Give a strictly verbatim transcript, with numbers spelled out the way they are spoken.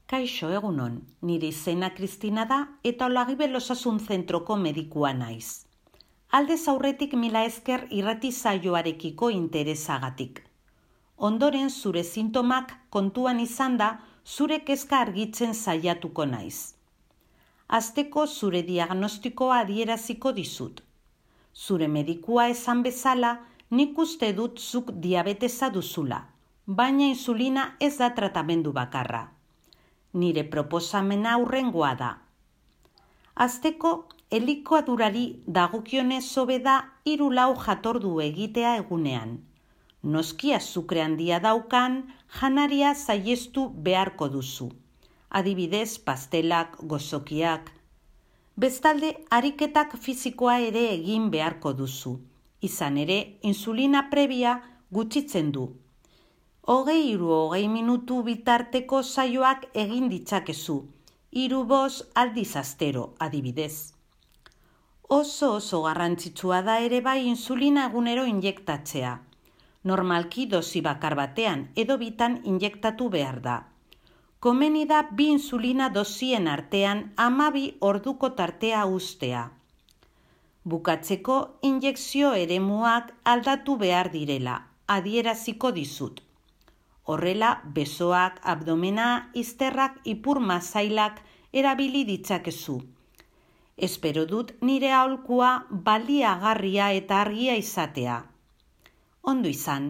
Kaixo egunon, nire izena Kristina da eta Olagibel Osasun Zentroko medikua naiz. Aldez aurretik mila esker irrati saioarekiko interesagatik. Ondoren zure sintomak kontuan izan da zure kezka argitzen saiatuko naiz. Hasteko zure diagnostikoa adieraziko dizut. Zure medikua esan bezala, nik uste dut zuk diabetesa duzula, baina insulina ez da tratamendu bakarra. Nire proposamena hurrengoa da. Hasteko, elikadurari dagokionez hobe da hiru lau jatordu egitea egunean. Noski azukre handia daukan, janaria saihestu beharko duzu. Adibidez, pastelak, gozokiak. Bestalde, ariketak fisikoa ere egin beharko duzu. Izan ere, insulina prebia gutxitzen du. Hogei hiru hogei minutu bitarteko saioak egin ditzakezu. Hiru bost aldiz astero, adibidez. Oso oso garrantzitsua da ere bai insulina egunero injektatzea. Normalki dosi bakar batean edo bitan injektatu behar da. Komeni da bi insulina dosien artean hamabi orduko tartea uztea. Bukatzeko injekzio eremuak aldatu behar direla, adieraziko dizut. Horrela, besoak, abdomena, izterrak, ipur masailak erabili ditzakezu. Espero dut nire aholkua baliagarria eta argia izatea. Ondo izan.